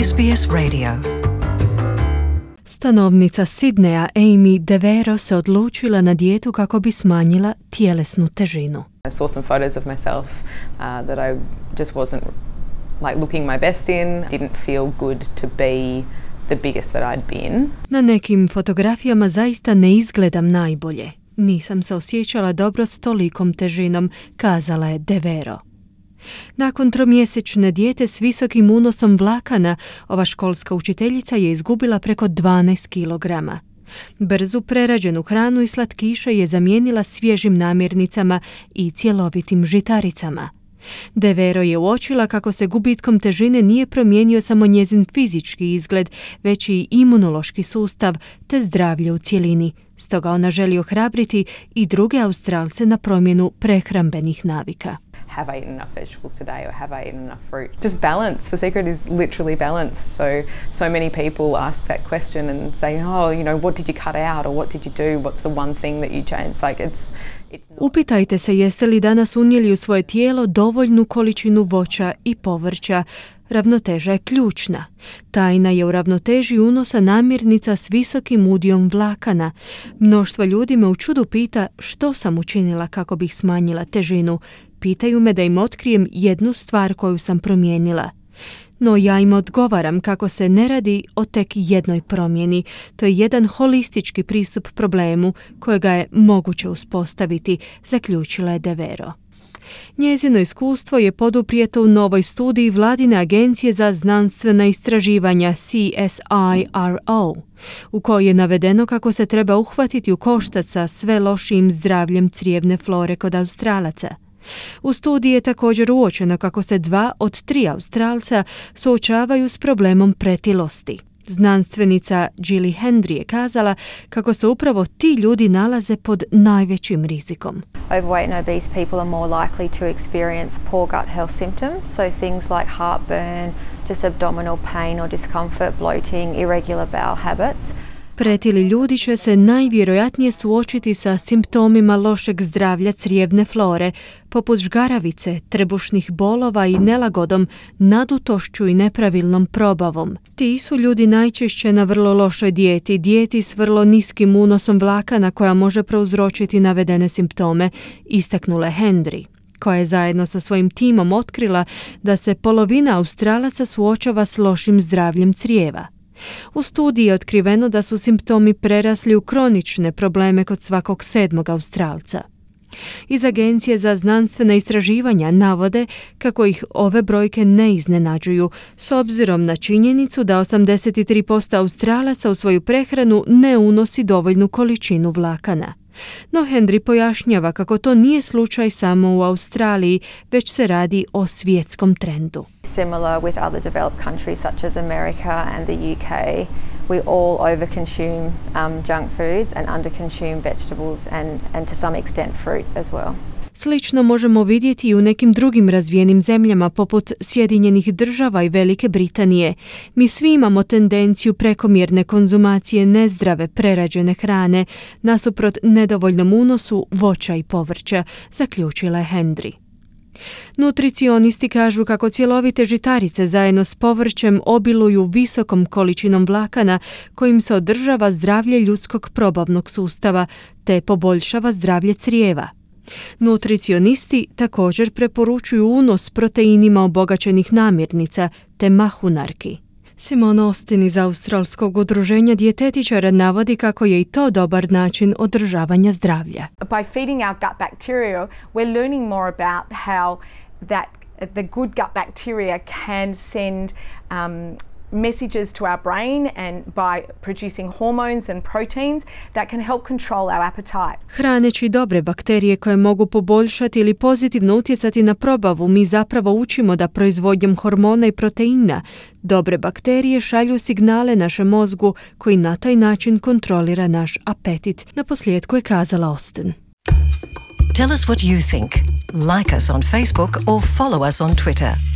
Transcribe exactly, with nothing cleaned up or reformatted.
S B S Radio. Stanovnica Sidneja Amy DeVero se odlučila na dijetu kako bi smanjila tjelesnu težinu. I saw some photos of myself uh, that I just wasn't like looking my best in. Didn't feel good to be the biggest that I'd been. Na nekim fotografijama zaista ne izgledam najbolje. Nisam se osjećala dobro s tolikom težinom, kazala je DeVero. Nakon tromjesečne dijete s visokim unosom vlakana, ova školska učiteljica je izgubila preko dvanaest kilograma. Brzu prerađenu hranu i slatkiše je zamijenila svježim namirnicama i cjelovitim žitaricama. DeVero je uočila kako se gubitkom težine nije promijenio samo njezin fizički izgled, već i imunološki sustav te zdravlje u cjelini. Stoga ona želi ohrabriti i druge Australce na promjenu prehrambenih navika. Have I eaten enough vegetables today or have I eaten enough fruit? Just balance. The secret is literally balance. So, so many people ask that question and say, oh, you know, what did you cut out or what did you do? What's the one thing that you changed? Like it's, it's not... Upitajte se jeste li danas unijeli u svoje tijelo dovoljnu količinu voća i povrća. Ravnoteža je ključna. Tajna je u ravnoteži unosa namirnica s visokim udijom vlakana. Mnoštvo ljudi me u čudu pita što sam učinila kako bih smanjila težinu. Pitaju me da im otkrijem jednu stvar koju sam promijenila. No ja im odgovaram kako se ne radi o tek jednoj promjeni. To je jedan holistički pristup problemu kojega je moguće uspostaviti, zaključila je DeVero. Njezino iskustvo je poduprijeto u novoj studiji Vladine agencije za znanstvena istraživanja C S I R O, u kojoj je navedeno kako se treba uhvatiti u koštac sa sve lošijim zdravljem crijevne flore kod Australaca. U studiji je također uočeno kako se dva od tri Australca suočavaju s problemom pretilosti. Znanstvenica Gilly Hendry je kazala kako se upravo ti ljudi nalaze pod najvećim rizikom. Overweight and obese people are more likely to experience poor gut health symptoms, so things like heartburn, just abdominal pain or discomfort, bloating, irregular bowel habits. Pretili ljudi će se najvjerojatnije suočiti sa simptomima lošeg zdravlja crijevne flore, poput žgaravice, trbušnih bolova i nelagodom, nadutošću i nepravilnom probavom. Ti su ljudi najčešće na vrlo lošoj dijeti, dijeti s vrlo niskim unosom vlakana koja može prouzročiti navedene simptome, istaknula Hendry, koja je zajedno sa svojim timom otkrila da se polovina Australaca suočava s lošim zdravljem crijeva. U studiji je otkriveno da su simptomi prerasli u kronične probleme kod svakog sedmog Australca. Iz Agencije za znanstvena istraživanja navode kako ih ove brojke ne iznenađuju, s obzirom na činjenicu da osamdeset tri posto Australaca u svoju prehranu ne unosi dovoljnu količinu vlakana. No Hendry pojašnjava kako to nije slučaj samo u Australiji, već se radi o svjetskom trendu. Similar with other developed countries such as America and the U K, we all overconsume um, junk foods and underconsume vegetables and, and to some extent fruit as well. Slično možemo vidjeti i u nekim drugim razvijenim zemljama poput Sjedinjenih država i Velike Britanije. Mi svi imamo tendenciju prekomjerne konzumacije nezdrave prerađene hrane nasuprot nedovoljnom unosu voća i povrća, zaključila je Hendry. Nutricionisti kažu kako cjelovite žitarice zajedno s povrćem obiluju visokom količinom vlakana kojim se održava zdravlje ljudskog probavnog sustava te poboljšava zdravlje crijeva. Nutricionisti također preporučuju unos proteinima obogaćenih namirnica te mahunarki. Simon Austin iz Australskog udruženja dijetetičara navodi kako je i to dobar način održavanja zdravlja. By feeding our gut bacteria, we're learning more about how that the good gut bacteria can send um, messages to our brain and by producing hormones and proteins that can help control our appetite. Hraneći dobre bakterije koje mogu poboljšati ili pozitivno utjecati na probavu, mi zapravo učimo da proizvodnjom hormona i proteina dobre bakterije šalju signale našem mozgu koji na taj način kontrolira naš apetit. Naposljetku je kazala Austin. Tell us what you think. Like us on Facebook or follow us on Twitter.